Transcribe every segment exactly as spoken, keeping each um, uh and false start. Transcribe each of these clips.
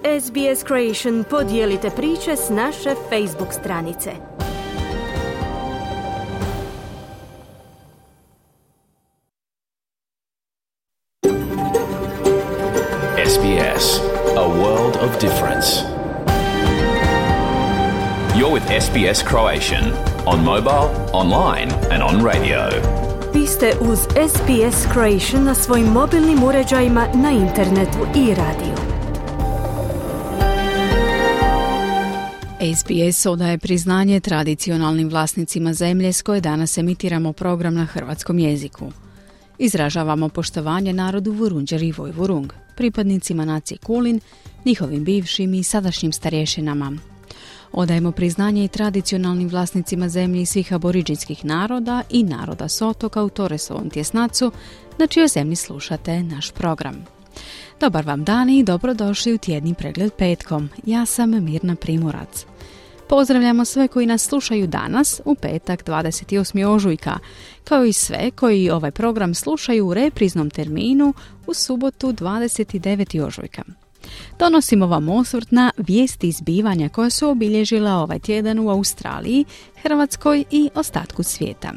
S B S Creation podijelite priče s naše Facebook stranice. S B S, a world of difference. You're with S B S Croatian on mobile, online and on radio. Vi ste uz S B S Croatian na svojim mobilnim uređajima, na internetu i radiju. S B S odaje priznanje tradicionalnim vlasnicima zemlje s koje danas emitiramo program na hrvatskom jeziku. Izražavamo poštovanje narodu Vurundjer i Vojvurung, pripadnicima nacije Kulin, njihovim bivšim i sadašnjim starješinama. Odajemo priznanje i tradicionalnim vlasnicima zemlje svih aboriđinskih naroda i naroda s otoka u Torresovom tjesnacu, na čijoj zemlji slušate naš program. Dobar vam dan i dobrodošli u tjedni pregled petkom. Ja sam Mirna Primorac. Pozdravljamo sve koji nas slušaju danas, u petak dvadeset osmog ožujka, kao i sve koji ovaj program slušaju u repriznom terminu u subotu dvadeset devetog ožujka. Donosimo vam osvrt na vijesti zbivanja koja su obilježila ovaj tjedan u Australiji, Hrvatskoj i ostatku svijeta.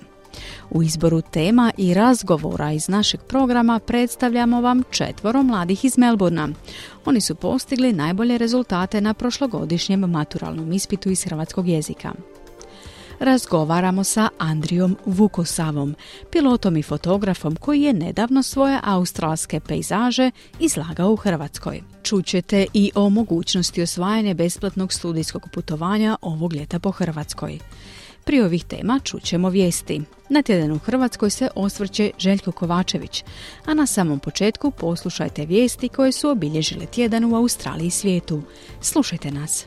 U izboru tema i razgovora iz našeg programa predstavljamo vam četvoro mladih iz Melbournea. Oni su postigli najbolje rezultate na prošlogodišnjem maturalnom ispitu iz hrvatskog jezika. Razgovaramo sa Andrijom Vukosavom, pilotom i fotografom koji je nedavno svoje australske pejzaže izlagao u Hrvatskoj. Čućete i o mogućnosti osvajanja besplatnog studijskog putovanja ovog ljeta po Hrvatskoj. Prije ovih tema čućemo vijesti. Na tjedan u Hrvatskoj se osvrće Željko Kovačević, a na samom početku poslušajte vijesti koje su obilježile tjedan u Australiji i svijetu. Slušajte nas.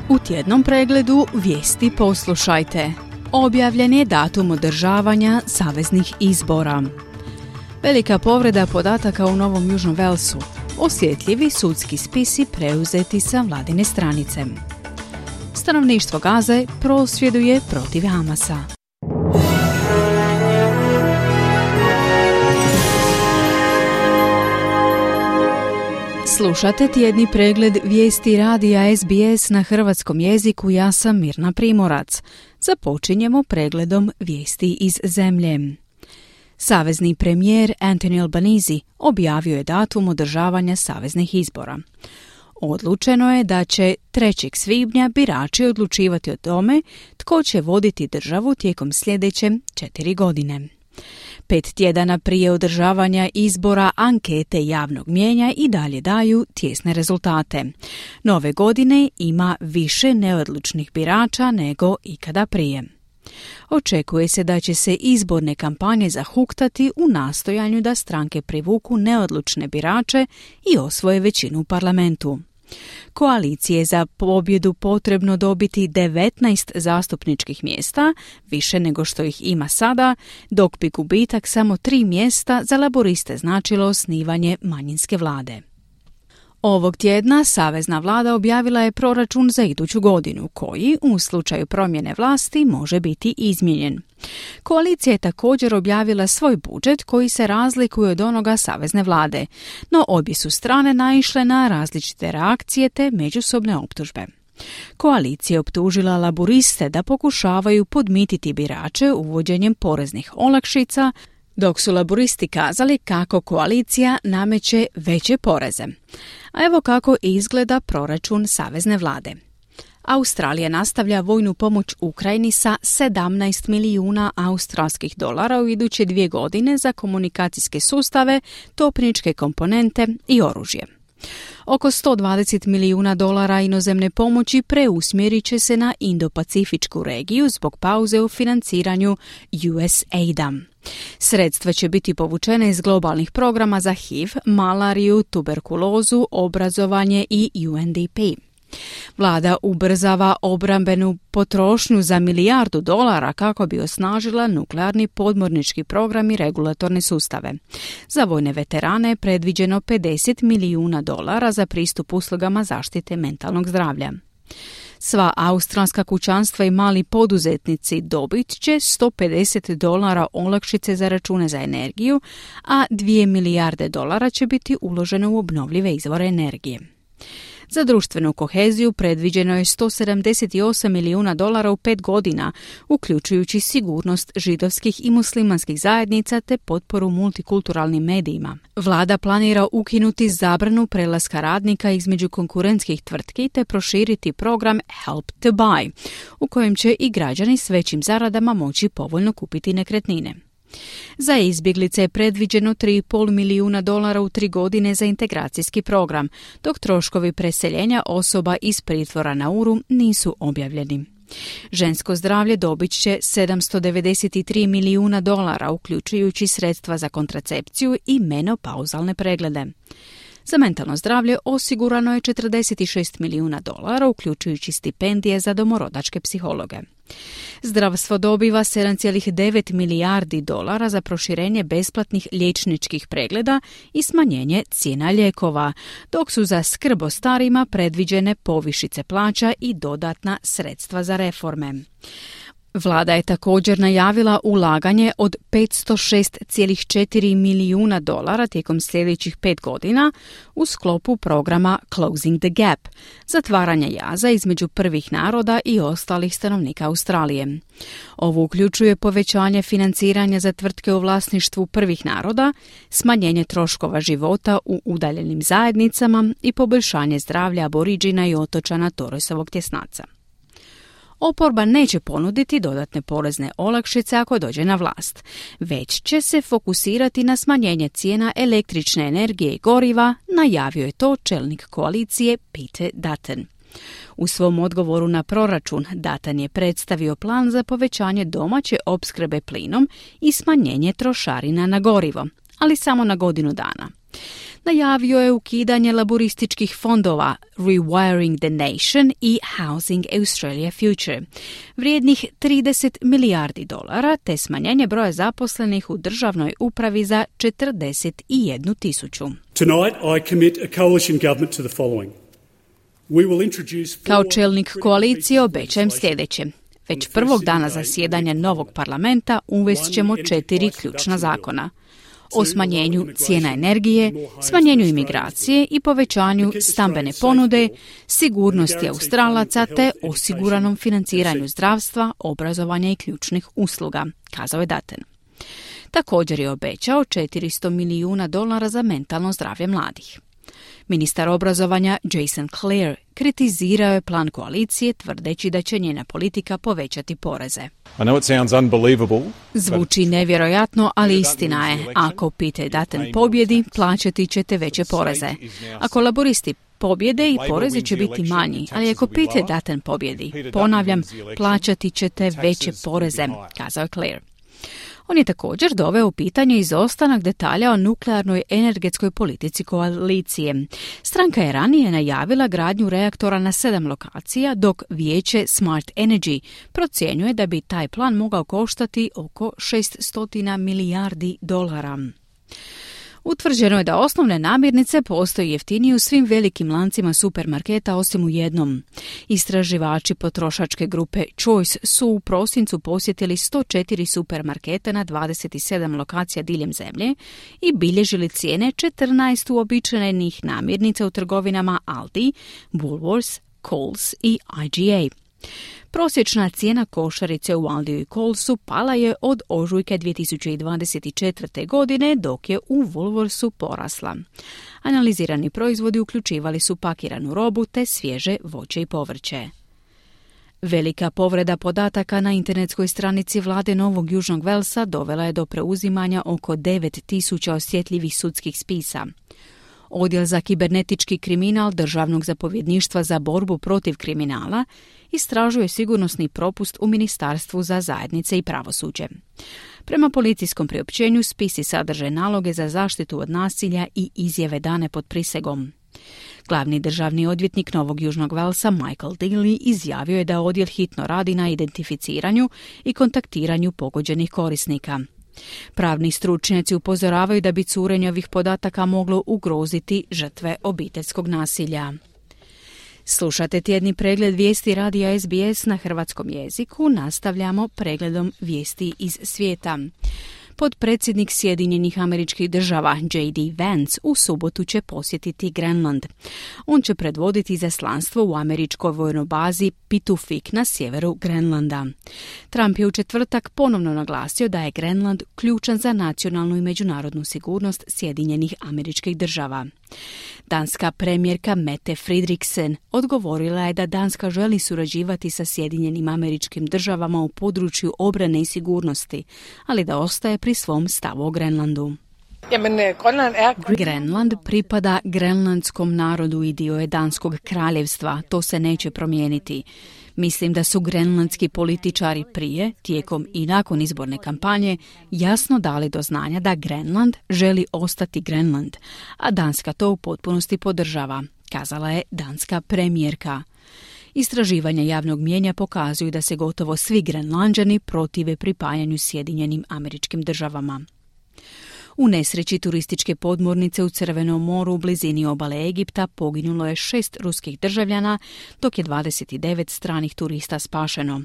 U tjednom pregledu vijesti poslušajte. Objavljen je datum održavanja saveznih izbora. Velika povreda podataka u Novom Južnom Velsu. Osjetljivi sudski spisi preuzeti sa vladine stranice. Stanovništvo Gaze prosvjeduje protiv Hamasa. Slušate tjedni pregled vijesti radija S B S na hrvatskom jeziku. Ja sam Mirna Primorac. Započinjemo pregledom vijesti iz zemlje. Savezni premijer Anthony Albanese objavio je datum održavanja saveznih izbora. Odlučeno je da će trećeg svibnja birači odlučivati o tome tko će voditi državu tijekom sljedeće četiri godine. Pet tjedana prije održavanja izbora ankete javnog mnijenja i dalje daju tjesne rezultate. Nove godine ima više neodlučnih birača nego ikada prije. Očekuje se da će se izborne kampanje zahuktati u nastojanju da stranke privuku neodlučne birače i osvoje većinu u parlamentu. Koaliciji je za pobjedu potrebno dobiti devetnaest zastupničkih mjesta, više nego što ih ima sada, dok bi gubitak samo tri mjesta za laboriste značilo osnivanje manjinske vlade. Ovog tjedna savezna vlada objavila je proračun za iduću godinu, koji, u slučaju promjene vlasti, može biti izmijenjen. Koalicija je također objavila svoj budžet koji se razlikuje od onoga savezne vlade, no obje su strane naišle na različite reakcije te međusobne optužbe. Koalicija je optužila laboriste da pokušavaju podmititi birače uvođenjem poreznih olakšica, dok su laboristi kazali kako koalicija nameće veće poreze. A evo kako izgleda proračun savezne vlade. Australija nastavlja vojnu pomoć Ukrajini sa sedamnaest milijuna australskih dolara u iduće dvije godine za komunikacijske sustave, topničke komponente i oružje. Oko sto dvadeset milijuna dolara inozemne pomoći preusmjerit će se na Indo-Pacifičku regiju zbog pauze u financiranju U S A I D-a. Sredstva će biti povučene iz globalnih programa za H I V, malariju, tuberkulozu, obrazovanje i U N D P. Vlada ubrzava obrambenu potrošnju za milijardu dolara kako bi osnažila nuklearni podmornički program i regulatorne sustave. Za vojne veterane je predviđeno pedeset milijuna dolara za pristup uslugama zaštite mentalnog zdravlja. Sva australska kućanstva i mali poduzetnici dobit će sto pedeset dolara olakšice za račune za energiju, a dvije milijarde dolara će biti uloženo u obnovljive izvore energije. Za društvenu koheziju predviđeno je sto sedamdeset osam milijuna dolara u pet godina, uključujući sigurnost židovskih i muslimanskih zajednica te potporu multikulturalnim medijima. Vlada planira ukinuti zabranu prelaska radnika između konkurentskih tvrtki te proširiti program Help to Buy, u kojem će i građani s većim zaradama moći povoljno kupiti nekretnine. Za izbjeglice je predviđeno tri i pol milijuna dolara u tri godine za integracijski program, dok troškovi preseljenja osoba iz pritvora na Uru nisu objavljeni. Žensko zdravlje dobit će sedamsto devedeset tri milijuna dolara, uključujući sredstva za kontracepciju i menopauzalne preglede. Za mentalno zdravlje osigurano je četrdeset šest milijuna dolara, uključujući stipendije za domorodačke psihologe. Zdravstvo dobiva sedam zarez devet milijardi dolara za proširenje besplatnih liječničkih pregleda i smanjenje cijena lijekova, dok su za skrb o starima predviđene povišice plaća i dodatna sredstva za reforme. Vlada je također najavila ulaganje od petsto šest zarez četiri milijuna dolara tijekom sljedećih pet godina u sklopu programa Closing the Gap, zatvaranja jaza između prvih naroda i ostalih stanovnika Australije. Ovo uključuje povećanje financiranja za tvrtke u vlasništvu prvih naroda, smanjenje troškova života u udaljenim zajednicama i poboljšanje zdravlja aboriđina i otočana Torresovog tjesnaca. Oporba neće ponuditi dodatne porezne olakšice ako dođe na vlast, već će se fokusirati na smanjenje cijena električne energije i goriva, najavio je to čelnik koalicije Peter Dutton. U svom odgovoru na proračun Dutton je predstavio plan za povećanje domaće opskrbe plinom i smanjenje trošarina na gorivo, ali samo na godinu dana. Najavio je ukidanje laborističkih fondova Rewiring the Nation i Housing Australia Future, vrijednih trideset milijardi dolara, te smanjenje broja zaposlenih u državnoj upravi za četrdeset jednu tisuću. Tonight I commit a coalition government to the following. We will introduce Kao čelnik koalicije obećajem sljedeće. Već prvog dana zasjedanja novog parlamenta uvest ćemo četiri ključna zakona. O smanjenju cijena energije, smanjenju imigracije i povećanju stambene ponude, sigurnosti Australaca te osiguranom financiranju zdravstva, obrazovanja i ključnih usluga, kazao je Dutton. Također je obećao četiristo milijuna dolara za mentalno zdravlje mladih. Ministar obrazovanja Jason Clare kritizirao je plan koalicije tvrdeći da će njena politika povećati poreze. I know it sounds unbelievable. Zvuči nevjerojatno, ali istina je. Ako Peter Dutton pobjedi, plaćati ćete veće poreze. Ako laboristi pobjede i porezi će biti manji, ali ako Peter Dutton pobjedi, ponavljam, plaćati ćete veće poreze, kazao je Clare. On je također doveo u pitanje izostanak detalja o nuklearnoj energetskoj politici koalicije. Stranka je ranije najavila gradnju reaktora na sedam lokacija, dok vijeće Smart Energy procjenjuje da bi taj plan mogao koštati oko šesto milijardi dolara. Utvrđeno je da osnovne namirnice postoje jeftinije u svim velikim lancima supermarketa osim u jednom. Istraživači potrošačke grupe Choice su u prosincu posjetili sto četiri supermarketa na dvadeset sedam lokacija diljem zemlje i bilježili cijene četrnaest uobičajenih namirnica u trgovinama Aldi, Woolworths, Coles i I G A. Prosječna cijena košarice u Aldiju i Colesu pala je od ožujka dvije tisuće dvadeset četvrte. godine, dok je u Woolworthsu porasla. Analizirani proizvodi uključivali su pakiranu robu te svježe voće i povrće. Velika povreda podataka na internetskoj stranici vlade Novog Južnog Velsa dovela je do preuzimanja oko devet tisuća osjetljivih sudskih spisa. Odjel za kibernetički kriminal Državnog zapovjedništva za borbu protiv kriminala istražuje sigurnosni propust u Ministarstvu za zajednice i pravosuđe. Prema policijskom priopćenju spisi sadrže naloge za zaštitu od nasilja i izjave dane pod prisegom. Glavni državni odvjetnik Novog Južnog Velsa Michael Daly izjavio je da odjel hitno radi na identificiranju i kontaktiranju pogođenih korisnika. Pravni stručnjaci upozoravaju da bi curenje ovih podataka moglo ugroziti žrtve obiteljskog nasilja. Slušate tjedni pregled vijesti radija S B S na hrvatskom jeziku. Nastavljamo pregledom vijesti iz svijeta. Potpredsjednik Sjedinjenih Američkih Država J D Vance u subotu će posjetiti Grenland. On će predvoditi izaslanstvo u američkoj vojnoj bazi Pitufik na sjeveru Grenlanda. Trump je u četvrtak ponovno naglasio da je Grenland ključan za nacionalnu i međunarodnu sigurnost Sjedinjenih Američkih Država. Danska premijerka Mette Frederiksen odgovorila je da Danska želi surađivati sa Sjedinjenim Američkim Državama u području obrane i sigurnosti, ali da ostaje pri svom stavu o Grenlandu. Grenland pripada grenlandskom narodu i dio je Danskog kraljevstva, to se neće promijeniti. Mislim da su grenlandski političari prije, tijekom i nakon izborne kampanje jasno dali do znanja da Grenland želi ostati Grenland, a Danska to u potpunosti podržava, kazala je danska premijerka. Istraživanja javnog mnijenja pokazuju da se gotovo svi Grenlanđani protive pripajanju Sjedinjenim Američkim Državama. U nesreći turističke podmornice u Crvenom moru u blizini obale Egipta poginulo je šest ruskih državljana, dok je dvadeset devet stranih turista spašeno.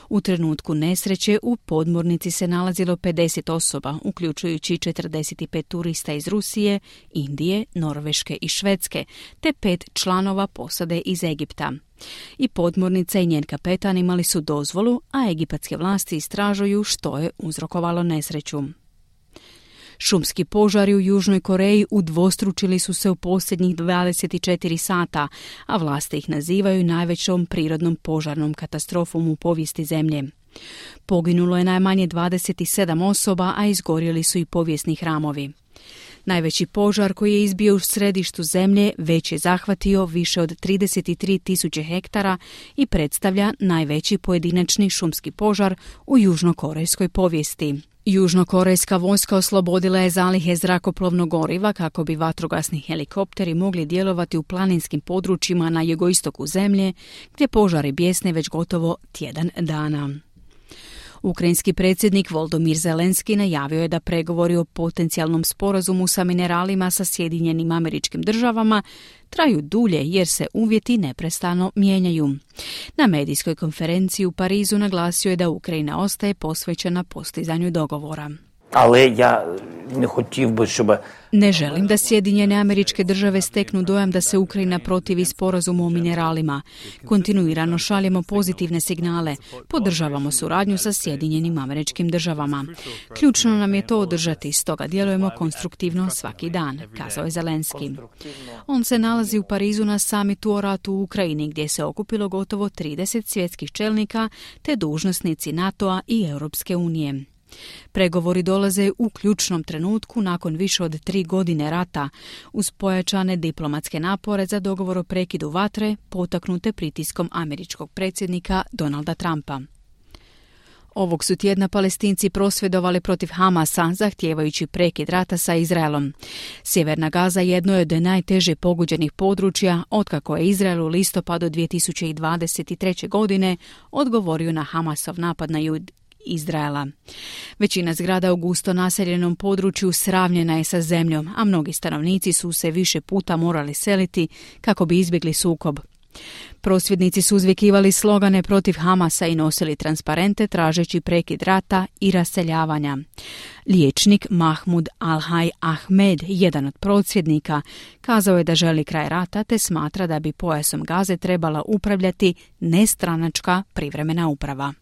U trenutku nesreće u podmornici se nalazilo pedeset osoba, uključujući četrdeset pet turista iz Rusije, Indije, Norveške i Švedske, te pet članova posade iz Egipta. I podmornica i njen kapetan imali su dozvolu, a egipatske vlasti istražuju što je uzrokovalo nesreću. Šumski požari u Južnoj Koreji udvostručili su se u posljednjih dvadeset četiri sata, a vlasti ih nazivaju najvećom prirodnom požarnom katastrofom u povijesti zemlje. Poginulo je najmanje dvadeset sedam osoba, a izgorjeli su i povijesni hramovi. Najveći požar koji je izbio u središtu zemlje već je zahvatio više od trideset tri tisuće hektara i predstavlja najveći pojedinačni šumski požar u južnokorejskoj povijesti. Južnokorejska vojska oslobodila je zalihe zrakoplovnog goriva kako bi vatrogasni helikopteri mogli djelovati u planinskim područjima na jugoistoku zemlje, gdje požari bjesne već gotovo tjedan dana. Ukrajinski predsjednik Volodymyr Zelenski najavio je da pregovori o potencijalnom sporazumu sa mineralima sa Sjedinjenim Američkim Državama traju dulje jer se uvjeti neprestano mijenjaju. Na medijskoj konferenciji u Parizu naglasio je da Ukrajina ostaje posvećena postizanju dogovora. Але я не хотів би, щоб... Ne želim da Sjedinjene Američke Države steknu dojam da se Ukrajina protivi sporazumu o mineralima. Kontinuirano šaljemo pozitivne signale, podržavamo suradnju sa Sjedinjenim Američkim Državama. Ključno nam je to održati, stoga djelujemo konstruktivno svaki dan, kazao je Zelenski. On se nalazi u Parizu na samitu o ratu u Ukrajini, gdje se okupilo gotovo trideset svjetskih čelnika te dužnosnici NATO-a i Europske unije. Pregovori dolaze u ključnom trenutku nakon više od tri godine rata, uz pojačane diplomatske napore za dogovor o prekidu vatre potaknute pritiskom američkog predsjednika Donalda Trumpa. Ovog su tjedna Palestinci prosvjedovali protiv Hamasa, zahtijevajući prekid rata sa Izraelom. Sjeverna Gaza jedno je od najteže pogođenih područja otkako je Izrael u listopadu dvije tisuće dvadeset treće. godine odgovorio na Hamasov napad na Jud Izraela. Većina zgrada u gusto naseljenom području sravnjena je sa zemljom, a mnogi stanovnici su se više puta morali seliti kako bi izbjegli sukob. Prosvjednici su uzvikivali slogane protiv Hamasa i nosili transparente tražeći prekid rata i raseljavanja. Liječnik Mahmud Al-Hay Ahmed, jedan od prosvjednika, kazao je da želi kraj rata te smatra da bi pojasom Gaze trebala upravljati nestranačka privremena uprava.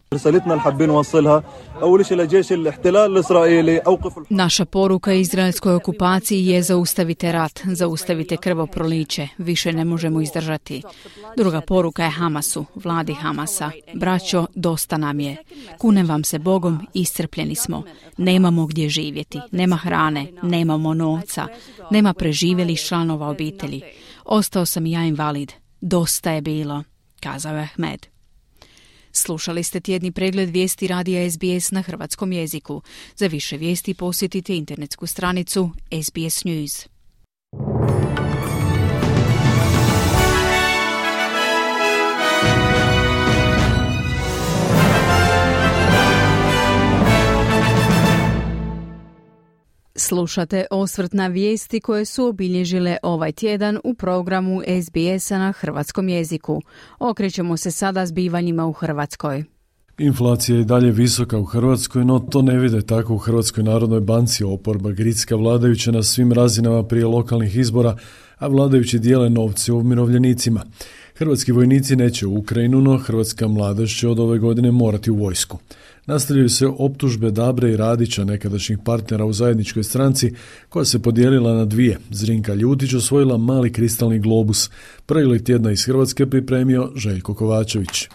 Naša poruka izraelskoj okupaciji je zaustavite rat, zaustavite krvoproliće, više ne možemo izdržati. Druga poruka je Hamasu, vladi Hamasa. Braćo, dosta nam je. Kunem vam se Bogom, iscrpljeni smo. Nemamo gdje živjeti, nema hrane, nemamo novca, nema preživjelih članova obitelji. Ostao sam i ja invalid. Dosta je bilo, kazao je Ahmed. Slušali ste tjedni pregled vijesti radija S B S na hrvatskom jeziku. Za više vijesti posjetite internetsku stranicu S B S News. Slušate osvrt na vijesti koje su obilježile ovaj tjedan u programu S B S-a na hrvatskom jeziku. Okrećemo se sada zbivanjima u Hrvatskoj. Inflacija je dalje visoka u Hrvatskoj, no to ne vide tako u Hrvatskoj narodnoj banci. Oporba gricka vladajuće na svim razinama prije lokalnih izbora, a vladajući dijele novce umirovljenicima. Hrvatski vojnici neće u Ukrajinu, no hrvatska mladež će od ove godine morati u vojsku. Nastavljaju se optužbe Dabre i Radića, nekadašnjih partnera u zajedničkoj stranci, koja se podijelila na dvije. Zrinka Ljutić osvojila mali kristalni globus. Pregled tjedna iz Hrvatske pripremio Željko Kovačević.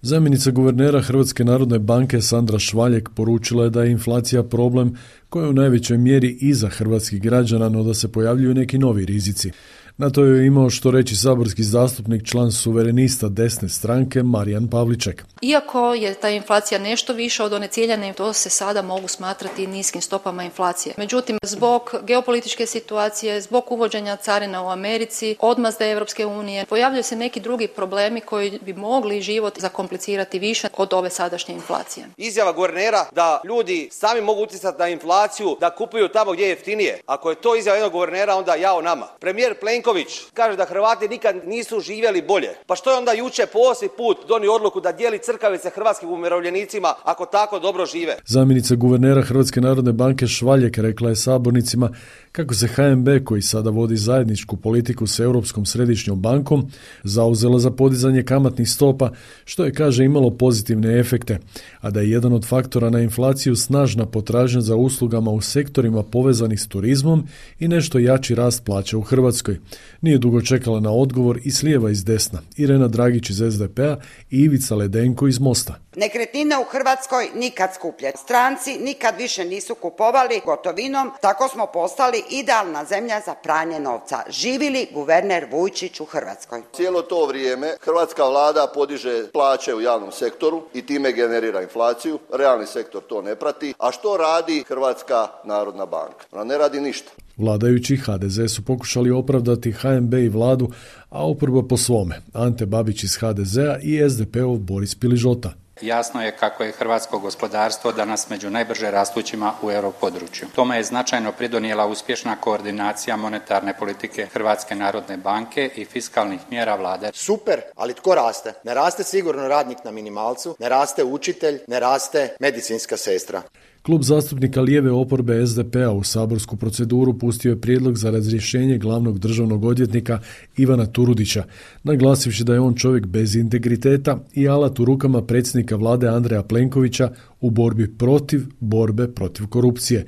Zamjenica guvernera Hrvatske narodne banke Sandra Švaljek poručila je da je inflacija problem koji je u najvećoj mjeri iza hrvatskih građana, no da se pojavljuju neki novi rizici. Na to je imao što reći saborski zastupnik, član suverenista desne stranke Marijan Pavliček. Iako je ta inflacija nešto više od one ciljane, to se sada mogu smatrati niskim stopama inflacije. Međutim, zbog geopolitičke situacije, zbog uvođenja carina u Americi, odmazde Europske unije, pojavljaju se neki drugi problemi koji bi mogli život zakomplicirati više od ove sadašnje inflacije. Izjava guvernera da ljudi sami mogu utjecati na inflaciju, da kupuju tamo gdje je jeftinije. Ako je to izjava jednog guvernera, onda jao nama. Premijer Plenković kaže da Hrvati nikad nisu živjeli bolje. Pa što je onda jučer po osmi put donio odluku da dijeli crkavice hrvatskim umirovljenicima ako tako dobro žive? Zamjenica guvernera Hrvatske narodne banke Švaljek rekla je sabornicima kako se H N B, koji sada vodi zajedničku politiku s Europskom središnjom bankom, zauzela za podizanje kamatnih stopa, što je, kaže, imalo pozitivne efekte, a da je jedan od faktora na inflaciju snažna potražnja za uslugama u sektorima povezanih s turizmom i nešto jači rast plaća u Hrvatskoj. Nije dugo čekala na odgovor i s lijeva i s desna, Irena Dragić iz S D P-a i Ivica Ledenko iz Mosta. Nekretnine u Hrvatskoj nikad skuplje. Stranci nikad više nisu kupovali gotovinom, tako smo postali idealna zemlja za pranje novca. Živili guverner Vujčić u Hrvatskoj. Cijelo to vrijeme hrvatska vlada podiže plaće u javnom sektoru i time generira inflaciju. Realni sektor to ne prati. A što radi Hrvatska narodna banka? Ona ne radi ništa. Vladajući H D Z su pokušali opravdati H N B i vladu, a oporba po svome. Ante Babić iz H D Z-a i S D P-ov Boris Piližota. Jasno je kako je hrvatsko gospodarstvo danas među najbrže rastućima u europodručju. Tome je značajno pridonijela uspješna koordinacija monetarne politike Hrvatske narodne banke i fiskalnih mjera vlade. Super, ali tko raste? Ne raste sigurno radnik na minimalcu, ne raste učitelj, ne raste medicinska sestra. Klub zastupnika lijeve oporbe S D P-a u saborsku proceduru pustio je prijedlog za razrješenje glavnog državnog odvjetnika Ivana Turudića, naglasivši da je on čovjek bez integriteta i alat u rukama predsjednika vlade Andreja Plenkovića u borbi protiv borbe protiv korupcije.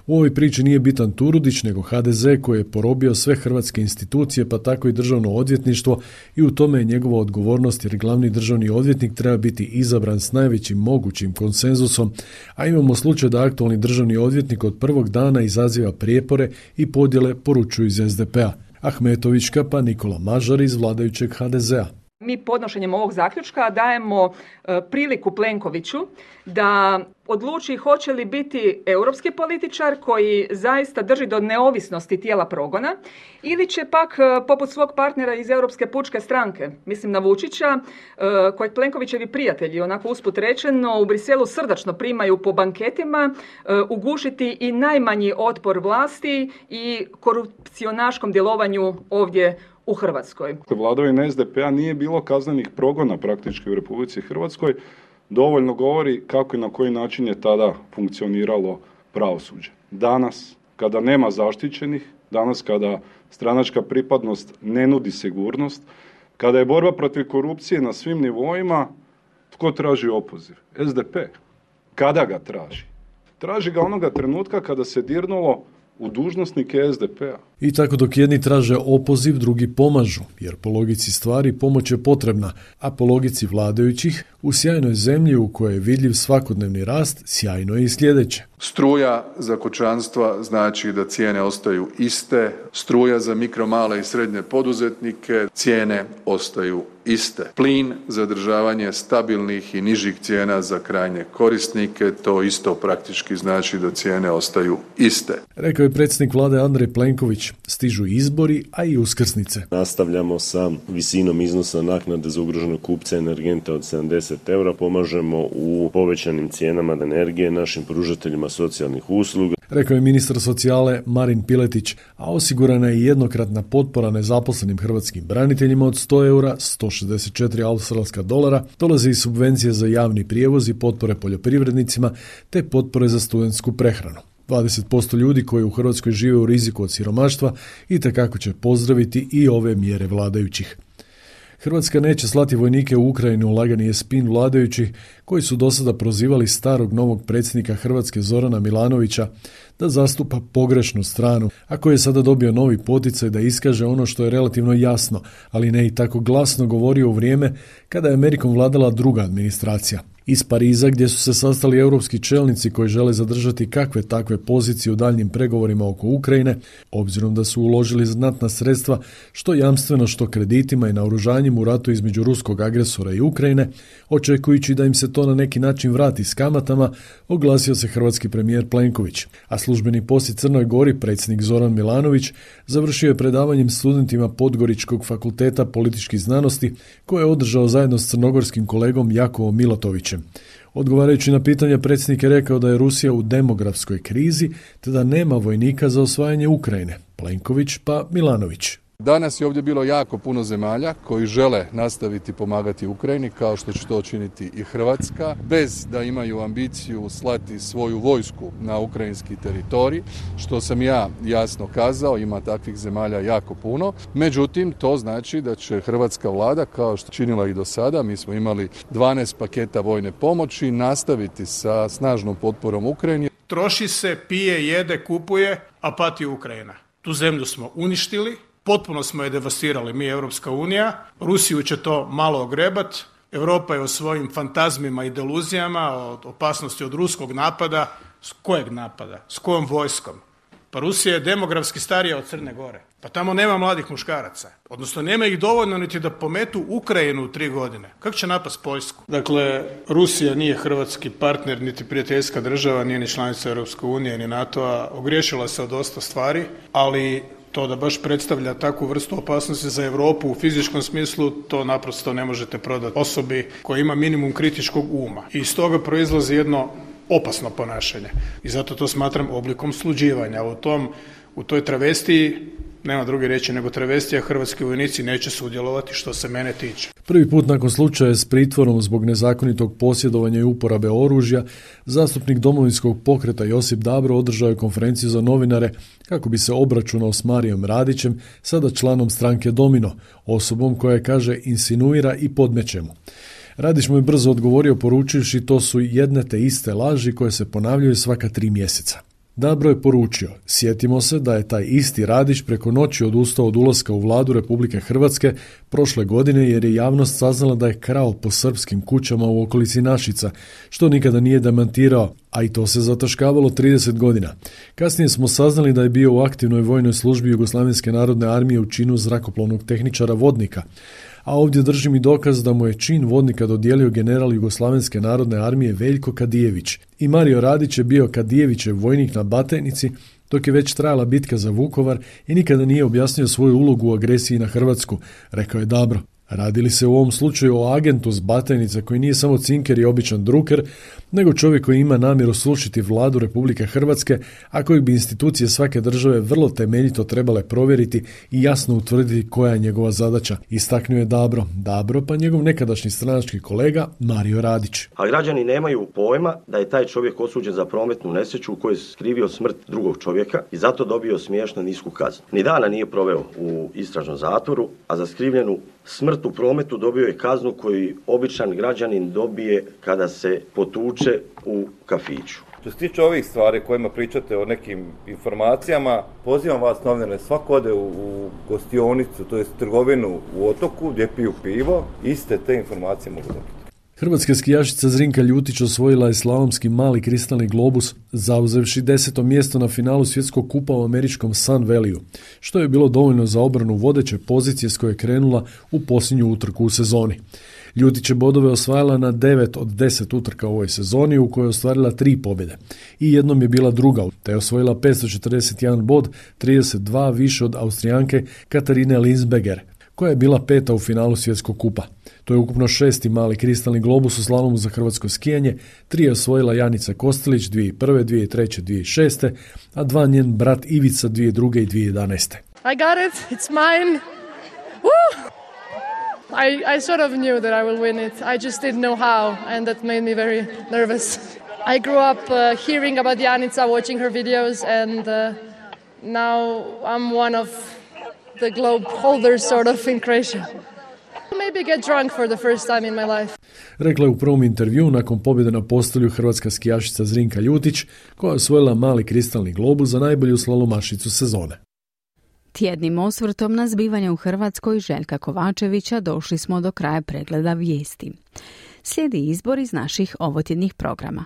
U ovoj priči nije bitan Turudić, nego H D Z koji je porobio sve hrvatske institucije, pa tako i državno odvjetništvo, i u tome je njegova odgovornost, jer glavni državni odvjetnik treba biti izabran s najvećim mogućim konsenzusom, a imamo slučaj da aktualni državni odvjetnik od prvog dana izaziva prijepore i podjele, poručuju iz S D P-a. Ahmetovićka pa Nikola Mažar iz vladajućeg H D Z-a. Mi podnošenjem ovog zaključka dajemo e, priliku Plenkoviću da odluči hoće li biti europski političar koji zaista drži do neovisnosti tijela progona ili će pak e, poput svog partnera iz Europske pučke stranke, mislim na Vučića, e, kojeg Plenkovićevi prijatelji, onako usput rečeno, u Briselu srdačno primaju po banketima, e, ugušiti i najmanji otpor vlasti i korupcionaškom djelovanju ovdje u Hrvatskoj. Vladavine S D P-a nije bilo kaznenih progona praktički u Republici Hrvatskoj, dovoljno govori kako i na koji način je tada funkcioniralo pravosuđe. Danas, kada nema zaštićenih, danas kada stranačka pripadnost ne nudi sigurnost, kada je borba protiv korupcije na svim nivoima, tko traži opoziv? S D P. Kada ga traži? Traži ga onoga trenutka kada se dirnulo u dužnosnike S D P-a. I tako dok jedni traže opoziv, drugi pomažu, jer po logici stvari pomoć je potrebna, a po logici vladajućih, u sjajnoj zemlji u kojoj je vidljiv svakodnevni rast, sjajno je i sljedeće. Struja za kućanstva znači da cijene ostaju iste, struja za mikro, male i srednje poduzetnike, cijene ostaju iste. Plin za održavanje stabilnih i nižih cijena za krajnje korisnike, to isto praktički znači da cijene ostaju iste. Rekao je predsjednik vlade Andrej Plenković. Stižu izbori, a i uskrsnice. Nastavljamo sa visinom iznosa naknade za ugroženog kupca energenta od sedamdeset eura. Pomažemo u povećanim cijenama energije našim pružateljima socijalnih usluga. rekao je ministar socijale Marin Piletić, a osigurana je jednokratna potpora nezaposlenim hrvatskim braniteljima od sto eura, sto šezdeset četiri australska dolara, dolaze i subvencije za javni prijevoz i potpore poljoprivrednicima, te potpore za studentsku prehranu. dvadeset posto ljudi koji u Hrvatskoj žive u riziku od siromaštva itekako će pozdraviti i ove mjere vladajućih. Hrvatska neće slati vojnike u Ukrajinu, lagani je spin vladajućih koji su do sada prozivali starog novog predsjednika Hrvatske Zorana Milanovića da zastupa pogrešnu stranu, a koji je sada dobio novi poticaj da iskaže ono što je relativno jasno, ali ne i tako glasno govorio u vrijeme kada je Amerikom vladala druga administracija. Iz Pariza, gdje su se sastali europski čelnici koji žele zadržati kakve takve pozicije u daljnjim pregovorima oko Ukrajine, obzirom da su uložili znatna sredstva što jamstveno što kreditima i naoružanjem u ratu između ruskog agresora i Ukrajine, očekujući da im se to na neki način vrati s kamatama, oglasio se hrvatski premijer Plenković. A službeni posjet Crnoj Gori, predsjednik Zoran Milanović, završio je predavanjem studentima Podgoričkog fakulteta političkih znanosti koje je održao zajedno s crnogorskim kolegom Jakovom Milatovićem. Odgovarajući na pitanje, predsjednik je rekao da je Rusija u demografskoj krizi te da nema vojnika za osvajanje Ukrajine. Plenković pa Milanović. Danas je ovdje bilo jako puno zemalja koji žele nastaviti pomagati Ukrajini, kao što će to učiniti i Hrvatska, bez da imaju ambiciju slati svoju vojsku na ukrajinski teritorij, što sam ja jasno kazao, ima takvih zemalja jako puno. Međutim, to znači da će hrvatska vlada, kao što činila i do sada, mi smo imali dvanaest paketa vojne pomoći, nastaviti sa snažnom potporom Ukrajini. Troši se, pije, jede, kupuje, a pati Ukrajina. Tu zemlju smo uništili. Potpuno smo je devastirali mi, Europska unija. Rusiju će to malo ogrebat. Europa je u svojim fantazmima i deluzijama od opasnosti od ruskog napada. S kojeg napada? S kojom vojskom? Pa Rusija je demografski starija od Crne Gore. Pa tamo nema mladih muškaraca. Odnosno nema ih dovoljno niti da pometu Ukrajinu u tri godine. Kako će napast Poljsku? Dakle, Rusija nije hrvatski partner, niti prijateljska država, nije ni članica Europske unije, ni NATO-a. Ogriješila se od dosta stvari, ali to da baš predstavlja takvu vrstu opasnosti za Europu u fizičkom smislu, to naprosto ne možete prodati osobi koja ima minimum kritičkog uma. I iz toga proizlazi jedno opasno ponašanje. I zato to smatram oblikom sluđivanja. U tom, u toj travestiji, nema druge riječi nego travestija, hrvatski vojnici neće sudjelovati što se mene tiče. Prvi put nakon slučaja s pritvorom zbog nezakonitog posjedovanja i uporabe oružja, zastupnik Domovinskog pokreta Josip Dabro održao je konferenciju za novinare kako bi se obračunao s Marijom Radićem, sada članom stranke Domino, osobom koja je, kaže, insinuira i podmeće mu. Radić mu je brzo odgovorio poručivši to su jedne te iste laži koje se ponavljaju svaka tri mjeseca. Dabro je poručio, sjetimo se da je taj isti Radić preko noći odustao od ulaska u vladu Republike Hrvatske prošle godine jer je javnost saznala da je krao po srpskim kućama u okolici Našica, što nikada nije demantirao, a i to se zataškavalo trideset godina. Kasnije smo saznali da je bio u aktivnoj vojnoj službi Jugoslavenske narodne armije u činu zrakoplovnog tehničara vodnika. A ovdje držim i dokaz da mu je čin vodnika dodijelio general Jugoslavenske narodne armije Veljko Kadijević. I Mario Radić je bio Kadijevićev vojnik na Batajnici dok je već trajala bitka za Vukovar i nikada nije objasnio svoju ulogu u agresiji na Hrvatsku, rekao je Dabro. Radi li se u ovom slučaju o agentu s Batajnice koji nije samo cinker i običan druker, nego čovjek koji ima namjeru slušiti vladu Republike Hrvatske, a kojeg bi institucije svake države vrlo temeljito trebale provjeriti i jasno utvrditi koja je njegova zadaća, istaknuo je Dabro. Dabro pa njegov nekadašnji stranački kolega Mario Radić. A građani nemaju pojma da je taj čovjek osuđen za prometnu nesreću u kojoj je skrivio smrt drugog čovjeka i zato dobio smiješno nisku kaznu. Ni dana nije proveo u istražnom zatvoru, a za skrivljenu smrt u prometu dobio je kaznu koju običan građanin dobije kada se potuče u kafiću. Što se tiče ovih stvari kojima pričate o nekim informacijama, pozivam vas novinare, svako ode u, u gostionicu, to jest trgovinu u Otoku gdje piju pivo, iste te informacije mogu dobiti. Hrvatska skijašica Zrinka Ljutić osvojila je slalomski mali kristalni globus, zauzevši deseto mjesto na finalu svjetskog kupa u američkom Sun Valleyu, što je bilo dovoljno za obranu vodeće pozicije s koje je krenula u posljednju utrku u sezoni. Ljutić je bodove osvajala na devet od deset utrka u ovoj sezoni, u kojoj je ostvarila tri pobjede. I jednom je bila druga, te je osvojila petsto četrdeset jedan bod, trideset dva više od Austrijanke Katarine Linsberger, koja je bila peta u finalu svjetskog kupa. To je ukupno šesti mali kristalni globus u slalomu za hrvatsko skijanje, tri je osvojila Janica Kostelić dvije tisuće prve, dvije tisuće treće, dvije tisuće šeste, a dva njen brat Ivica dvije tisuće druge i dvije tisuće jedanaeste. I got it, it's mine. Woo! I, I sort of knew that I will win it. I just didn't know how, and that made me very nervous. I grew up uh, hearing about Janica, watching her videos, and uh, now I'm one of the globe holders sort of in Croatia. Maybe get drunk for the first time in my life. Rekla je u prvom intervjuu nakon pobjede na postolju hrvatska skijašica Zrinka Ljutić, koja je osvojila mali kristalni globus za najbolju slalomašicu sezone. Tjednim osvrtom na zbivanja u Hrvatskoj Željka Kovačevića došli smo do kraja pregleda vijesti. Slijedi izbor iz naših ovotjednih programa.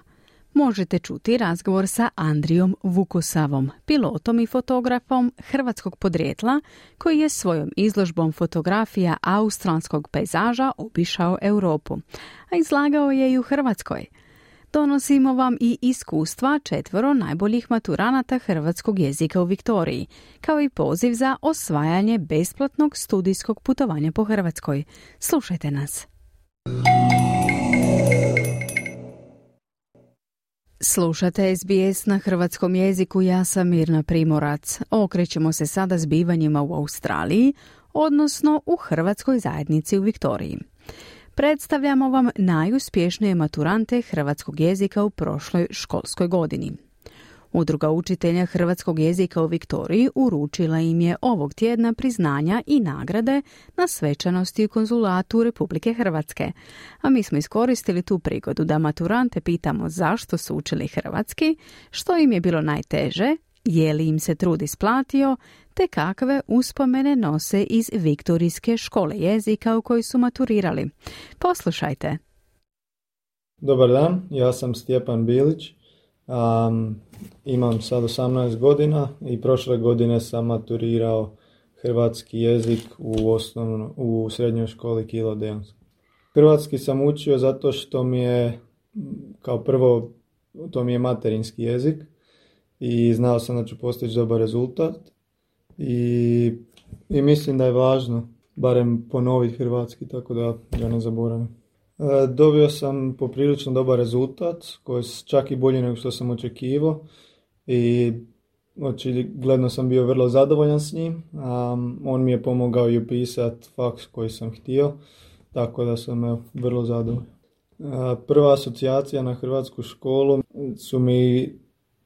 Možete čuti razgovor sa Andrijom Vukosavom, pilotom i fotografom hrvatskog podrijetla, koji je svojom izložbom fotografija australskog pejzaža obišao Europu, a izlagao je i u Hrvatskoj. Donosimo vam i iskustva četvoro najboljih maturanata hrvatskog jezika u Viktoriji, kao i poziv za osvajanje besplatnog studijskog putovanja po Hrvatskoj. Slušajte nas. Slušate S B S na hrvatskom jeziku, ja sam Mirna Primorac. Okrećemo se sada zbivanjima u Australiji, odnosno u hrvatskoj zajednici u Viktoriji. Predstavljamo vam najuspješnije maturante hrvatskog jezika u prošloj školskoj godini. Udruga učitelja hrvatskog jezika u Viktoriji uručila im je ovog tjedna priznanja i nagrade na svečanosti u konzulatu Republike Hrvatske. A mi smo iskoristili tu prigodu da maturante pitamo zašto su učili hrvatski, što im je bilo najteže, je li im se trud isplatio, te kakve uspomene nose iz Viktorijske škole jezika u kojoj su maturirali. Poslušajte. Dobar dan, ja sam Stjepan Bilić. Um, imam sad osamnaest godina i prošle godine sam maturirao hrvatski jezik u, osnovno, u srednjoj školi Kilo Deans. Hrvatski sam učio zato što mi je, kao prvo, to mi je materinski jezik i znao sam da ću postići dobar rezultat i, i mislim da je važno barem ponoviti hrvatski, tako da ga ne zaboravim. E, dobio sam poprilično dobar rezultat, koji je čak i bolji nego što sam očekivao i očigledno sam bio vrlo zadovoljan s njim. Um, on mi je pomogao i upisati faks koji sam htio, tako da sam evo, vrlo zadovoljan. E, prva asocijacija na hrvatsku školu su mi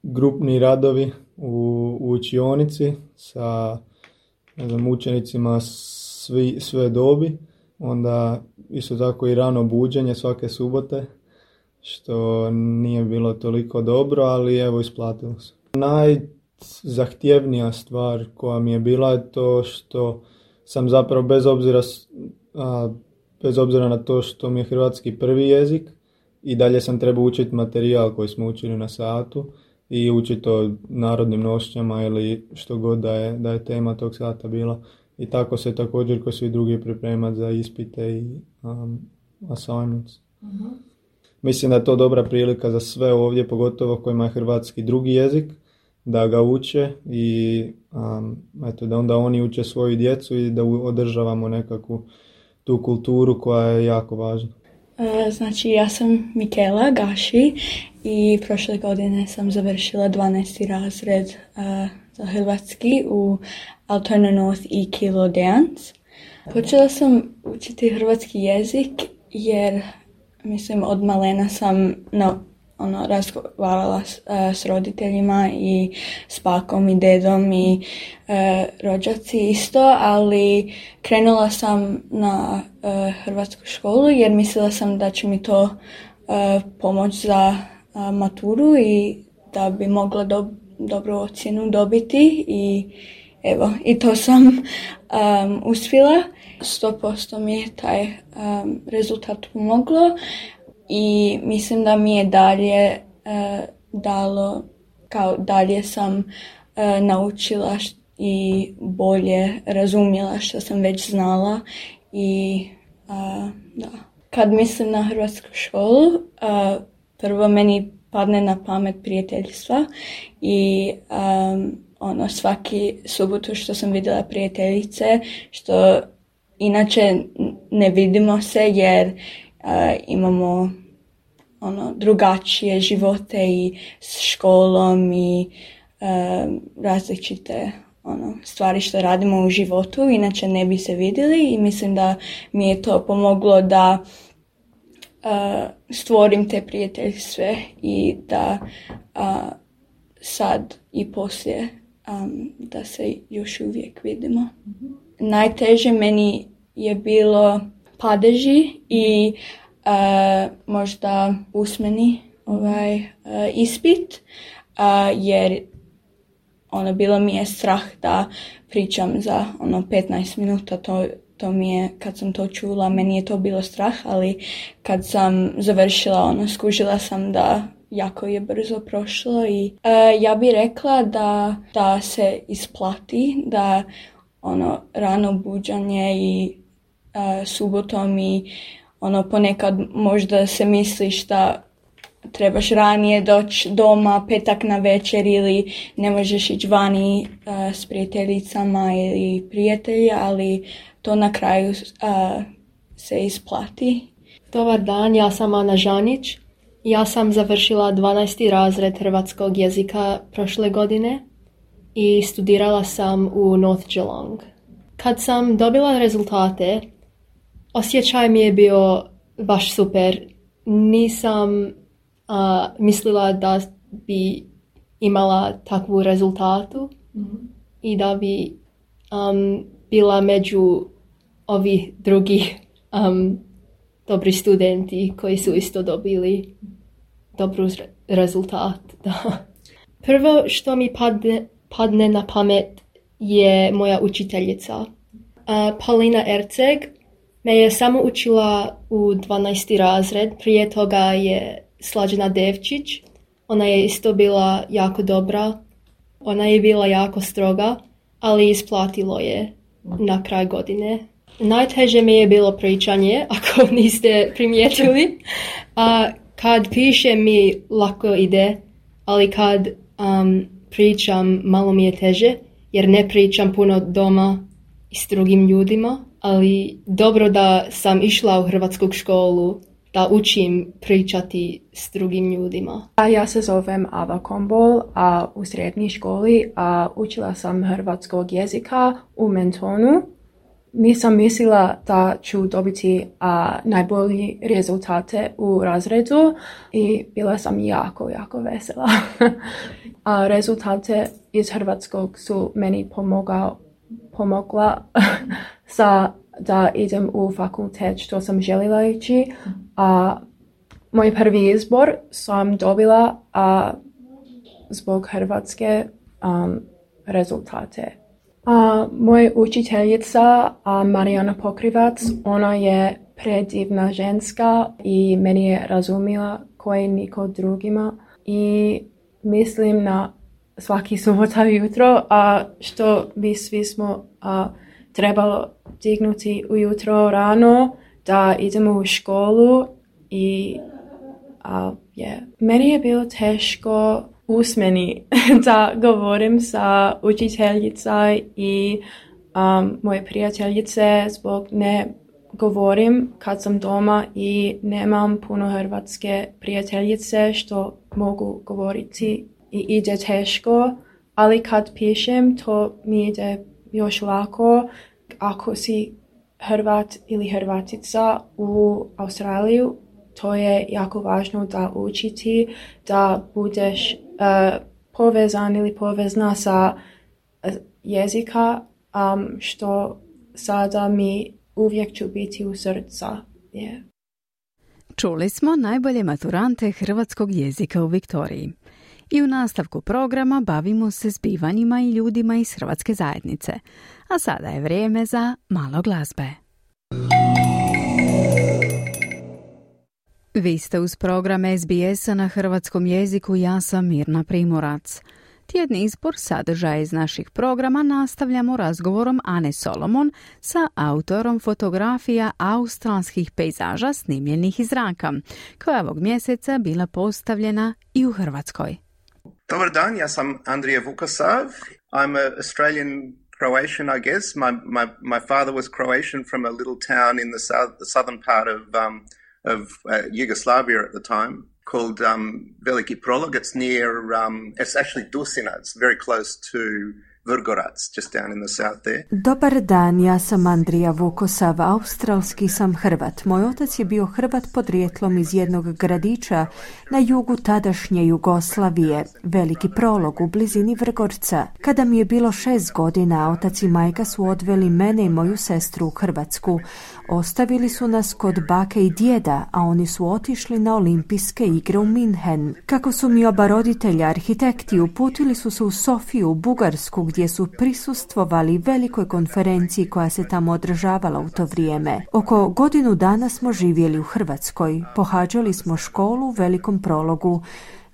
grupni radovi u, u učionici sa ne znam, učenicima svi, sve dobi. Onda isto tako i rano buđenje svake subote, što nije bilo toliko dobro, ali evo isplatilo se. Najzahtjevnija stvar koja mi je bila je to što sam zapravo bez obzira, a, bez obzira na to što mi je hrvatski prvi jezik, i dalje sam trebao učiti materijal koji smo učili na satu i učiti o narodnim nošnjama ili što god da je, da je tema tog sata bila. I tako se također kao svi drugi pripremati za ispite i um, assignments. Uh-huh. Mislim da je to dobra prilika za sve ovdje, pogotovo kojima je hrvatski drugi jezik, da ga uče i um, eto, da onda oni uče svoju djecu i da održavamo nekakvu tu kulturu koja je jako važna. Uh, znači, ja sam Mikela Gaši i prošle godine sam završila dvanaesti razred uh, za hrvatski u Altona North i Kilo Deans. Počela sam učiti hrvatski jezik jer, mislim, od malena sam na, ono, razgovarala s, uh, s roditeljima i s bakom i dedom i uh, rođaci isto, ali krenula sam na uh, hrvatsku školu jer mislila sam da će mi to uh, pomoći za uh, maturu i da bi mogla do, dobru ocjenu dobiti i evo, i to sam um, uspjela. sto posto mi je taj um, rezultat pomoglo i mislim da mi je dalje uh, dalo, kao dalje sam uh, naučila št- i bolje razumjela što sam već znala i uh, da. Kad mislim na hrvatsku školu, uh, prvo meni padne na pamet prijateljstva i um, ono, svaki subotu što sam vidjela prijateljice, što inače ne vidimo se jer uh, imamo ono drugačije živote i s školom i uh, različite ono stvari što radimo u životu, inače ne bi se vidjeli i mislim da mi je to pomoglo da uh, stvorim te prijateljstve i da uh, sad i poslije um, da se još uvijek vidimo. Mm-hmm. Najteže meni je bilo padeži i uh, možda usmeni ovaj, uh, ispit, uh, jer ono, bilo mi je strah da pričam za ono petnaest minuta, to, to mi je, kad sam to čula, meni je to bilo strah, ali kad sam završila, ono, skužila sam da jako je brzo prošlo i uh, ja bih rekla da, da se isplati, da ono, rano buđanje i uh, subotom i ono, ponekad možda se misliš da trebaš ranije doći doma petak na večer ili ne možeš ići vani uh, s prijateljicama ili prijatelji, ali to na kraju uh, se isplati. Dobar dan, ja sam Ana Žanić. Ja sam završila dvanaesti razred hrvatskog jezika prošle godine i studirala sam u North Geelong. Kad sam dobila rezultate, osjećaj mi je bio baš super. Nisam a, mislila da bi imala takvu rezultatu mm-hmm. i da bi um, bila među ovih drugih um, dobri studenti koji su isto dobili dobru rezultat. Da. Prvo što mi padne, padne na pamet je moja učiteljica. Uh, Paulina Erceg me je samo učila u dvanaesti razred, prije toga je Slađana Devčić. Ona je isto bila jako dobra, ona je bila jako stroga, ali isplatilo je na kraj godine. Najteže mi je bilo pričanje, ako niste primijetili. A kad pišem mi lako ide, ali kad um, pričam malo mi je teže, jer ne pričam puno doma i s drugim ljudima, ali dobro da sam išla u hrvatsku školu da učim pričati s drugim ljudima. Ja se zovem Ava Kombol, a u srednjoj školi a učila sam hrvatskog jezika u Mentonu. Nisam mislila da ću dobiti a, najbolji rezultate u razredu i bila sam jako, jako vesela. a rezultate iz hrvatskog su meni pomogao, pomogla sa da idem u fakultet što sam željela ići. A moj prvi izbor sam dobila a, zbog hrvatske um, rezultate. A, moja učiteljica a, Marijana Pokrivac, ona je predivna ženska i meni je razumila koji niko drugima i mislim na svaki subota jutro, a što bi svi smo a, trebalo dignuti ujutro rano da idemo u školu i a, yeah. Meni je bilo teško usmeni da govorim sa učiteljica i um, moje prijateljice zbog ne govorim kad sam doma i nemam puno hrvatske prijateljice što mogu govoriti i ide teško, ali kad pišem to mi ide još lako. Ako si Hrvat ili Hrvatica u Australiju, to je jako važno da učiti, da budeš uh, povezan ili povezna sa uh, jezika, um, što sada mi uvijek ću biti u srca. Yeah. Čuli smo najbolje maturante hrvatskog jezika u Viktoriji. I u nastavku programa bavimo se zbivanjima i ljudima iz hrvatske zajednice. A sada je vrijeme za malo glazbe. Vi ste uz program S B S-a na hrvatskom jeziku, ja sam Mirna Primorac. Tjedni izbor sadržaja iz naših programa nastavljamo razgovorom Ane Solomon sa autorom fotografija australskih pejzaža snimljenih iz zraka, koja je ovog mjeseca bila postavljena i u Hrvatskoj. Dobar dan, ja sam Andrija Vukosav. I'm an Australian Croatian, I guess. My, my, my father was Croatian from a little town in the, south, the southern part of, um, of uh, Yugoslavia at the time called um, Veliki Prolog. It's near, um, it's actually Dusina. It's very close to Vrgorac, just down in the south there. Dobar dan, ja sam Andrija Vukosav, australski sam Hrvat. Moj otac je bio Hrvat podrijetlom iz jednog gradića na jugu tadašnje Jugoslavije, Veliki Prolog u blizini Vrgorca. Kada mi je bilo šest godina, otac i majka su odveli mene i moju sestru u Hrvatsku. Ostavili su nas kod bake i djeda, a oni su otišli na olimpijske igre u Minhen. Kako su mi oba roditelja arhitekti, uputili su se u Sofiju, u Bugarsku, gdje su prisustvovali velikoj konferenciji koja se tamo održavala u to vrijeme. Oko godinu dana smo živjeli u Hrvatskoj. Pohađali smo školu u Velikom Prologu.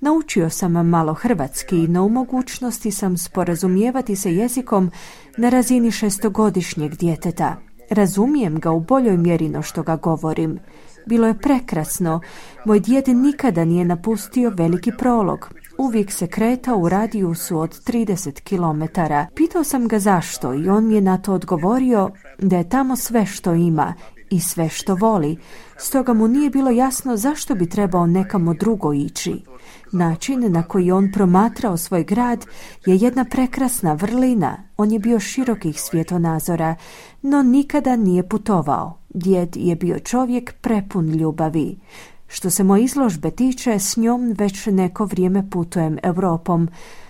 Naučio sam malo hrvatski, no u mogućnosti sam sporazumijevati se jezikom na razini šestogodišnjeg djeteta. Razumijem ga u boljoj mjeri no što ga govorim. Bilo je prekrasno. Moj djed nikada nije napustio Veliki Prolog. Uvijek se kretao u radijusu od trideset kilometara. Pitao sam ga zašto i on mi je na to odgovorio da je tamo sve što ima i sve što voli. Stoga mu nije bilo jasno zašto bi trebao nekamo drugo ići. Način na koji on promatrao svoj grad je jedna prekrasna vrlina. On je bio širokih svjetonazora, no nikada nije putovao. Djed je bio čovjek prepun ljubavi. Što se moje izložbe tiče, s njom već neko vrijeme putujem Europom.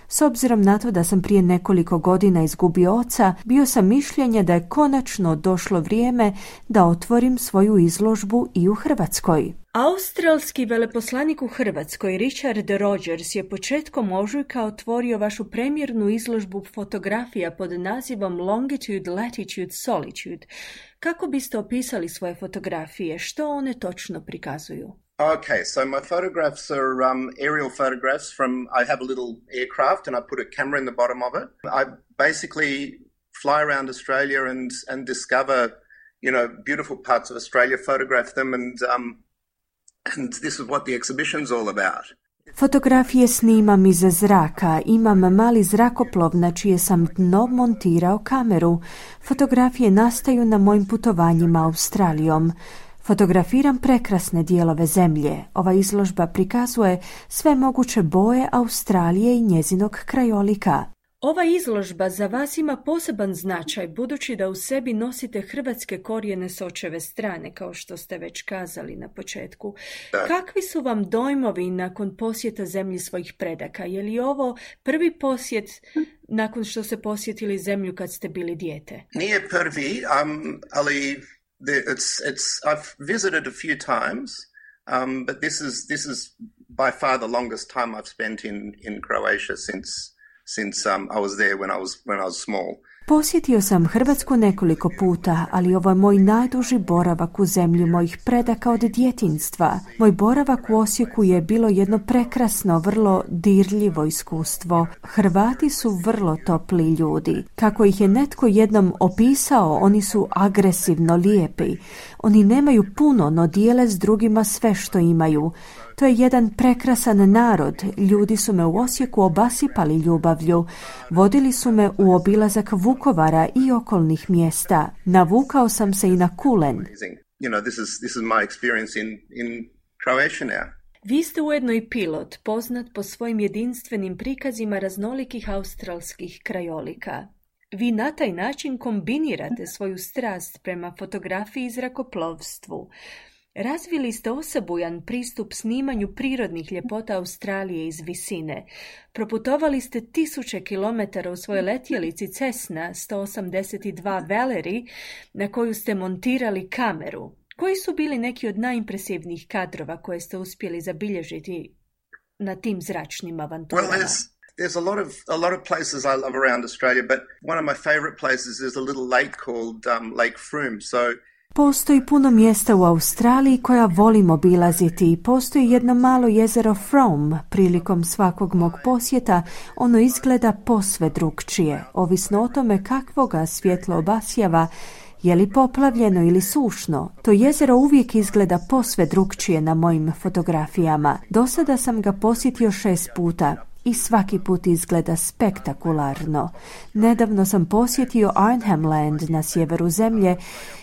S obzirom na to da sam prije nekoliko godina izgubio oca, bio sam mišljenja da je konačno došlo vrijeme da otvorim svoju izložbu i u Hrvatskoj. Australski veleposlanik u Hrvatskoj Richard Rogers je početkom ožujka otvorio vašu premjernu izložbu fotografija pod nazivom Longitude, Latitude, Solitude. Kako biste opisali svoje fotografije? Što one točno prikazuju? Okay, so my photographs are um, aerial photographs from, I have a little aircraft and I put a camera in the bottom of it. I basically fly around Australia and, and discover, you know, beautiful parts of Australia, photograph them and, um, and this is what the exhibition's all about. Fotografije snimam iz zraka, imam mali zrakoplov na čije sam dno montirao kameru. Fotografije nastaju na mojim putovanjima Australijom. Fotografiram prekrasne dijelove zemlje. Ova izložba prikazuje sve moguće boje Australije i njezinog krajolika. Ova izložba za vas ima poseban značaj budući da u sebi nosite hrvatske korijene s očeve strane, kao što ste već kazali na početku. Kakvi su vam dojmovi nakon posjeta zemlji svojih predaka? Je li ovo prvi posjet nakon što ste posjetili zemlju kad ste bili dijete? Nije prvi, um, ali the, it's, it's, I've visited a few times, um, but this is, this is by far the longest time I've spent in, in Croatia since since um, I was there when I was when I was small. Posjetio sam Hrvatsku nekoliko puta, ali ovo je moj najduži boravak u zemlji mojih predaka od djetinjstva. Moj boravak u Osijeku je bilo jedno prekrasno, vrlo dirljivo iskustvo. Hrvati su vrlo topli ljudi. Kako ih je netko jednom opisao, oni su agresivno lijepi. Oni nemaju puno, no dijele s drugima sve što imaju. To je jedan prekrasan narod. Ljudi su me u Osijeku obasipali ljubavlju. Vodili su me u obilazak Vukovara i okolnih mjesta. Navukao sam se i na kulen. You know, this is this is my experience in in Croatia now. Vi ste ujedno i pilot, poznat po svojim jedinstvenim prikazima raznolikih australskih krajolika. Vi na taj način kombinirate svoju strast prema fotografiji i zrakoplovstvu. Razvili ste osebujan pristup snimanju prirodnih ljepota Australije iz visine. Proputovali ste tisuće kilometara u svojoj letjelici Cessna sto osamdeset dva Valerie na koju ste montirali kameru. Koji su bili neki od najimpresivnijih kadrova koje ste uspjeli zabilježiti na tim zračnim avanturama? Well, there's, there's a lot of a lot of places I love around Australia, but one of my favorite places is a little lake called um, Lake Frome. So Postoji puno mjesta u Australiji koja volim obilaziti i postoji jedno malo jezero Frome. Prilikom svakog mog posjeta ono izgleda posve drukčije, ovisno o tome kakvoga svjetlo obasjava, je li poplavljeno ili sušno. To jezero uvijek izgleda posve drukčije na mojim fotografijama. Do sada sam ga posjetio šest puta i svaki put izgleda spektakularno. Nedavno sam posjetio Arnhem Land na sjeveru zemlje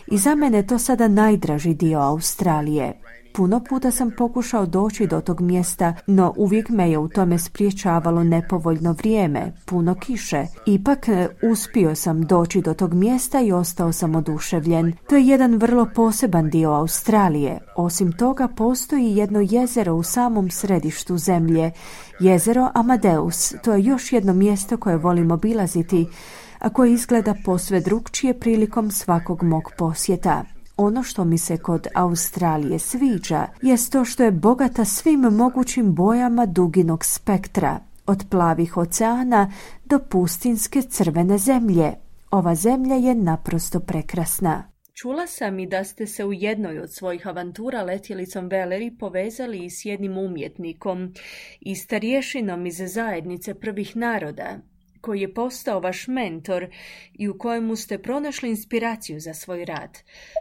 i za mene je to sada najdraži dio Australije. Puno puta sam pokušao doći do tog mjesta, no uvijek me je u tome spriječavalo nepovoljno vrijeme, puno kiše. Ipak uspio sam doći do tog mjesta i ostao sam oduševljen. To je jedan vrlo poseban dio Australije. Osim toga postoji jedno jezero u samom središtu zemlje, jezero Amadeus. To je još jedno mjesto koje volim obilaziti, a koje izgleda posve drukčije prilikom svakog mog posjeta. Ono što mi se kod Australije sviđa jest to što je bogata svim mogućim bojama duginog spektra, od plavih oceana do pustinske crvene zemlje. Ova zemlja je naprosto prekrasna. Čula sam i da ste se u jednoj od svojih avantura letjelicom Valerie povezali s jednim umjetnikom i starješinom iz zajednice prvih naroda, koji je postao vaš mentor i u kojemu ste pronašli inspiraciju za svoj rad.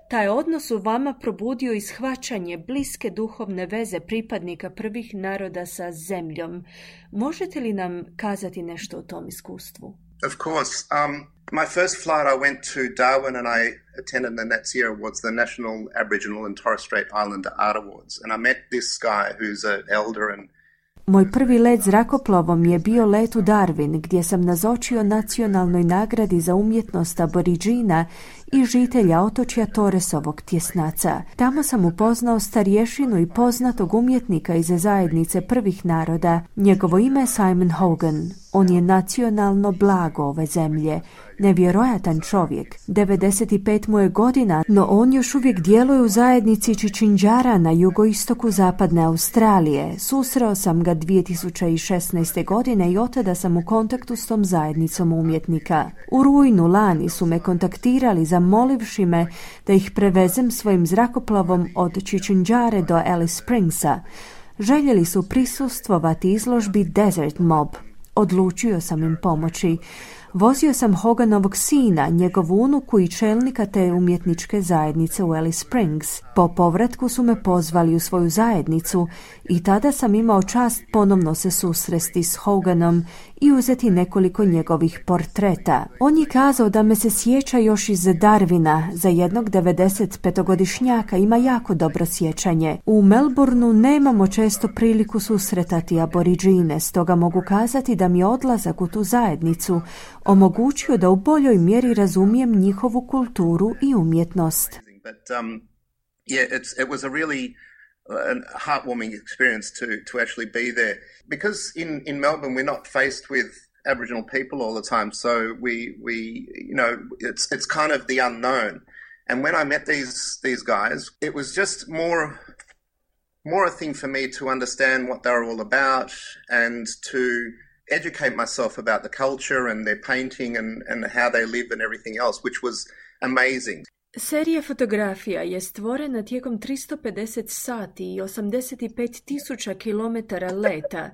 Taj odnos u vama probudio i shvaćanje bliske duhovne veze pripadnika prvih naroda sa zemljom. Možete li nam kazati nešto o tom iskustvu? Of course. Um, my first flight I went to Darwin and I attended the Nats Year Awards, the National Aboriginal and Torres Strait Islander Art Awards. And I met this guy who's an elder and Moj prvi let zrakoplovom je bio let u Darwin, gdje sam nazočio nacionalnoj nagradi za umjetnost Aboriđina i žitelja otočja Torresovog tjesnaca. Tamo sam upoznao starješinu i poznatog umjetnika iz zajednice prvih naroda. Njegovo ime je Simon Hogan. On je nacionalno blago ove zemlje. Nevjerojatan čovjek. devedeset pet mu je godina, no on još uvijek djeluje u zajednici Čičinđara na jugoistoku zapadne Australije. Susreo sam ga dvije tisuće šesnaeste. godine i od tada sam u kontaktu s tom zajednicom umjetnika. U rujnu lani su me kontaktirali zamolivši me da ih prevezem svojim zrakoplovom od Čičinđare do Alice Springsa. Željeli su prisustvovati izložbi Desert Mob. Odlučio sam im pomoći. Vozio sam Hoganovog sina, njegovu unuku i čelnika te umjetničke zajednice u Alice Springs. Po povratku su me pozvali u svoju zajednicu i tada sam imao čast ponovno se susresti s Hoganom i uzeti nekoliko njegovih portreta. On je kazao da me se sjeća još iz Darwina. Za jednog devedesetpetogodišnjaka ima jako dobro sjećanje. U Melbourneu nemamo često priliku susretati Aboriđine, stoga mogu kazati da mi je odlazak u tu zajednicu omogućio da u boljoj mjeri razumijem njihovu kulturu i umjetnost. But um, yeah, it's, it was a really uh, heartwarming experience to to actually be there because in in Melbourne we're not faced with Aboriginal people all the time, so we we you know it's it's kind of the unknown. And when I met these these guys, it was just more more a thing for me to understand what they were all about and to educate myself about the culture and their painting and, and how they live and everything else, which was amazing. Serija fotografija je stvorena tijekom tristo pedeset sati i osamdeset pet tisuća kilometara leta.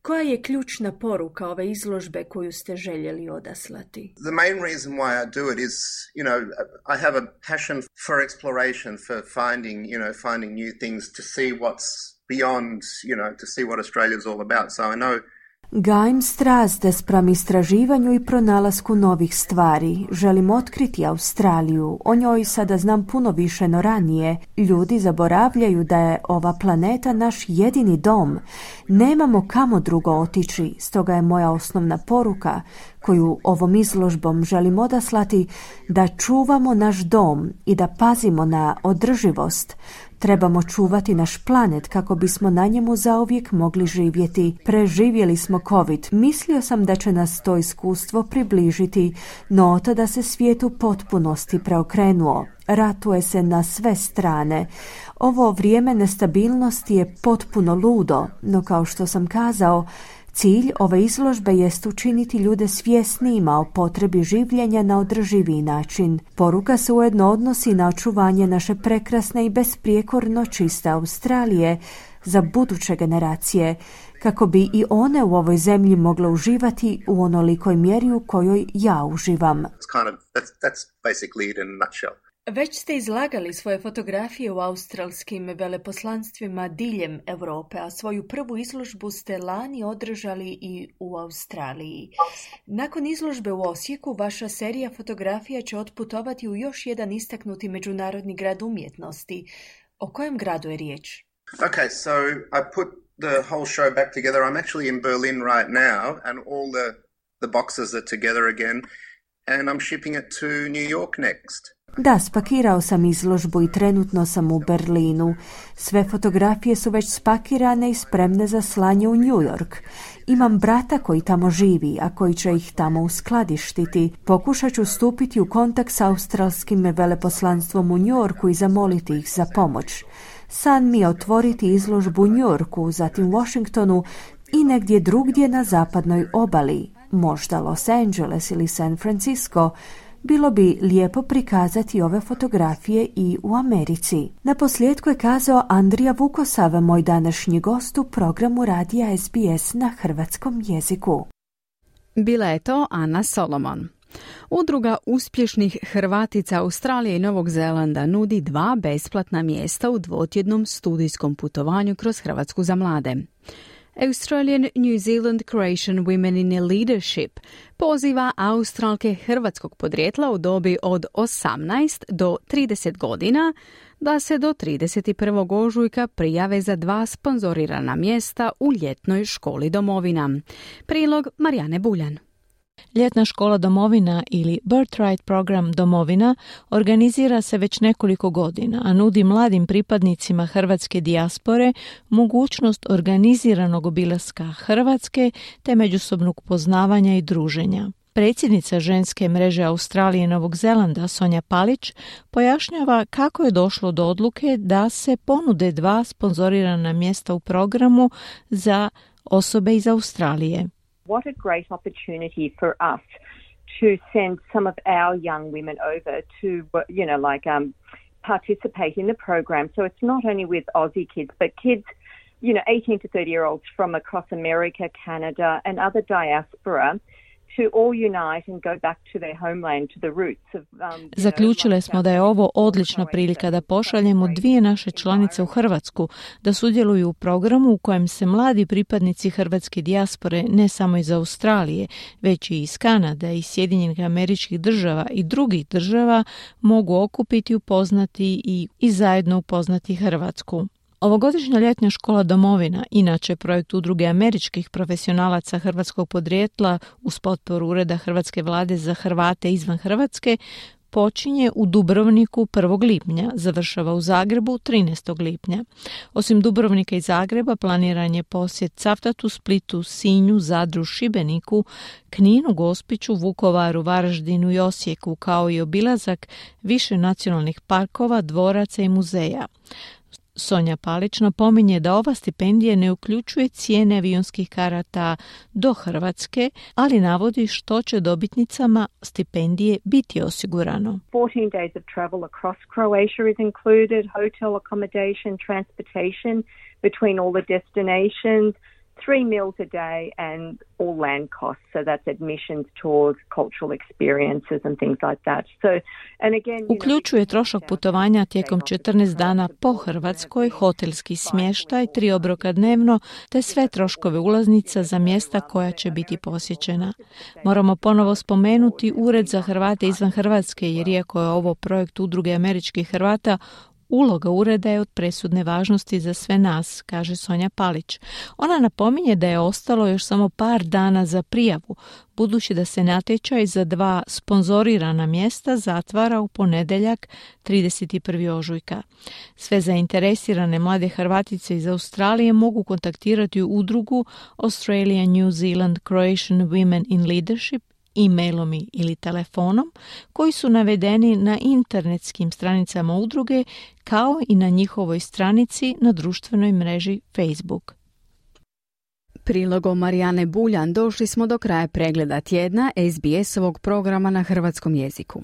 Koja je ključna poruka ove izložbe koju ste željeli odaslati? The main reason why I do it is, you know, I have a passion for exploration, for finding, you know, finding new things to see what's beyond, you know, to see what Australia's all about. So I know Gajim strast spram istraživanju i pronalasku novih stvari. Želim otkriti Australiju. O njoj sada znam puno više no ranije. Ljudi zaboravljaju da je ova planeta naš jedini dom. Nemamo kamo drugo otići, stoga je moja osnovna poruka koju ovom izložbom želim odaslati da čuvamo naš dom i da pazimo na održivost. Trebamo čuvati naš planet kako bismo na njemu zauvijek mogli živjeti. Preživjeli smo COVID. Mislio sam da će nas to iskustvo približiti, no od tada se svijet u potpunosti preokrenuo. Ratuje se na sve strane. Ovo vrijeme nestabilnosti je potpuno ludo, no kao što sam kazao, cilj ove izložbe jest učiniti ljude svjesnijima o potrebi življenja na održiviji način. Poruka se ujedno odnosi na očuvanje naše prekrasne i besprijekorno čiste Australije za buduće generacije, kako bi i one u ovoj zemlji mogle uživati u onolikoj mjeri u kojoj ja uživam. It's kind of, that's, that's basically it in a nutshell. Već ste izlagali svoje fotografije u australskim veleposlanstvima diljem Europe, a svoju prvu izložbu ste lani održali i u Australiji. Nakon izložbe u Osijeku, vaša serija fotografija će otputovati u još jedan istaknuti međunarodni grad umjetnosti. O kojem gradu je riječ? Okay, so I put the whole show back together. I'm actually in Berlin right now, and all the, the boxes are together again, and I'm shipping it to New York next. Da, spakirao sam izložbu i trenutno sam u Berlinu. Sve fotografije su već spakirane i spremne za slanje u New York. Imam brata koji tamo živi, a koji će ih tamo uskladištiti. Pokušat ću stupiti u kontakt s australskim veleposlanstvom u New Yorku i zamoliti ih za pomoć. San mi je otvoriti izložbu u New Yorku, zatim Washingtonu i negdje drugdje na zapadnoj obali, možda Los Angeles ili San Francisco. Bilo bi lijepo prikazati ove fotografije i u Americi. Na posljedku je kazao Andrija Vukosav, moj današnji gost u programu radija S B S na hrvatskom jeziku. Bila je to Ana Solomon. Udruga uspješnih Hrvatica Australije i Novog Zelanda nudi dva besplatna mjesta u dvotjednom studijskom putovanju kroz Hrvatsku za mlade. Australian New Zealand Croatian Women in Leadership poziva Australke hrvatskog podrijetla u dobi od osamnaest do trideset godina da se do trideset prvog ožujka prijave za dva sponzorirana mjesta u ljetnoj školi domovina. Prilog Marijane Buljan. Ljetna škola domovina ili Birthright program domovina organizira se već nekoliko godina, a nudi mladim pripadnicima hrvatske dijaspore mogućnost organiziranog obilaska Hrvatske te međusobnog poznavanja i druženja. Predsjednica ženske mreže Australije i Novog Zelanda Sonja Palić pojašnjava kako je došlo do odluke da se ponude dva sponzorirana mjesta u programu za osobe iz Australije. What a great opportunity for us to send some of our young women over to, you know, like um, participate in the program. So it's not only with Aussie kids, but kids, you know, eighteen to thirty year olds from across America, Canada and other diaspora to all unite and go back to their homeland, to the roots of... Um, Zaključile smo da je ovo odlična prilika da pošaljemo dvije naše članice u Hrvatsku da sudjeluju u programu u kojem se mladi pripadnici hrvatske dijaspore ne samo iz Australije, već i iz Kanade i Sjedinjenih Američkih Država i drugih država mogu okupiti, upoznati i, i zajedno upoznati Hrvatsku. Ovogodišnja ljetna škola domovina, inače projekt udruge američkih profesionalaca hrvatskog podrijetla uz potporu Ureda Hrvatske vlade za Hrvate izvan Hrvatske, počinje u Dubrovniku prvog lipnja, završava u Zagrebu trinaestog lipnja. Osim Dubrovnika i Zagreba planiran je posjet Cavtatu, Splitu, Sinju, Zadru, Šibeniku, Kninu, Gospiću, Vukovaru, Varaždinu i Osijeku, kao i obilazak više nacionalnih parkova, dvoraca i muzeja. Sonja Palić napominje da ova stipendija ne uključuje cijene avionskih karata do Hrvatske, ali navodi što će dobitnicama stipendije biti osigurano. fourteen days of travel across Croatia is included, hotel accommodation, transportation between all the destinations, three meals a day and all land costs. So that's admissions, tours, cultural experiences and things like that. So, and again, uključuje trošak putovanja tijekom četrnaest dana po Hrvatskoj, hotelski smještaj, tri obroka dnevno, te sve troškove ulaznica za mjesta koja će biti posjećena. Moramo ponovo spomenuti Ured za Hrvate izvan Hrvatske, jer iako je ovo projekt udruge američkih Hrvata, uloga ureda je od presudne važnosti za sve nas, kaže Sonja Palić. Ona napominje da je ostalo još samo par dana za prijavu, budući da se natječaj za dva sponzorirana mjesta zatvara u ponedjeljak trideset prvog ožujka. Sve zainteresirane mlade Hrvatice iz Australije mogu kontaktirati udrugu Australian New Zealand Croatian Women in Leadership e-mailom ili telefonom, koji su navedeni na internetskim stranicama udruge, kao i na njihovoj stranici na društvenoj mreži Facebook. Prilogom Marijane Buljan došli smo do kraja pregleda tjedna S B S-ovog programa na hrvatskom jeziku.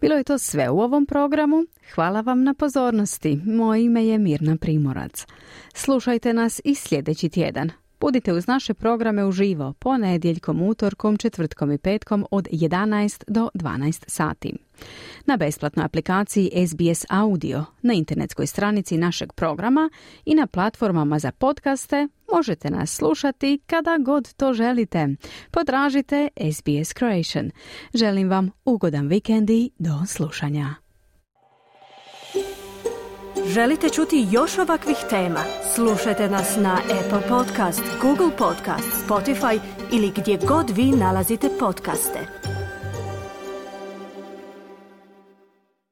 Bilo je to sve u ovom programu. Hvala vam na pozornosti. Moje ime je Mirna Primorac. Slušajte nas i sljedeći tjedan. Budite uz naše programe uživo ponedjeljkom, utorkom, četvrtkom i petkom od jedanaest do dvanaest sati. Na besplatnoj aplikaciji S B S Audio, na internetskoj stranici našeg programa i na platformama za podcaste možete nas slušati kada god to želite. Potražite S B S Croatian. Želim vam ugodan vikend i do slušanja. Želite čuti još ovakvih tema? Slušajte nas na Apple Podcast, Google Podcast, Spotify ili gdje god vi nalazite podcaste.